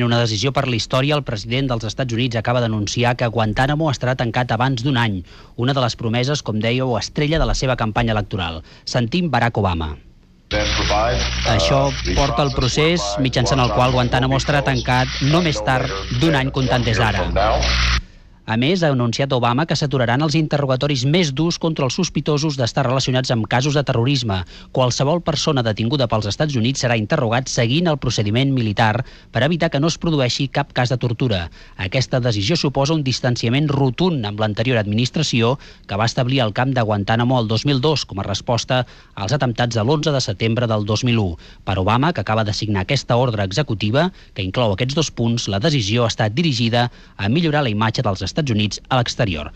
En una decisió per la història, el president dels Estats Units acaba d'anunciar que Guantánamo estarà tancat abans d'un any, una de les promeses, com deia, o estrella de la seva campanya electoral. Sentim Barack Obama. Això porta el procés mitjançant el qual Guantánamo estarà tancat no més tard d'un any comptant des d'ara. A més, ha anunciat Obama que s'aturaran els interrogatoris més durs contra els sospitosos d'estar relacionats amb casos de terrorisme. Qualsevol persona detinguda pels Estats Units serà interrogat seguint el procediment militar per evitar que no es produeixi cap cas de tortura. Aquesta decisió suposa un distanciament rotund amb l'anterior administració que va establir el camp de Guantánamo el 2002 com a resposta als atemptats de l'11 de setembre del 2001. Per Obama, que acaba de signar aquesta ordre executiva, que inclou aquests dos punts, la decisió ha estat dirigida a millorar la imatge dels Estats Units a l'exterior.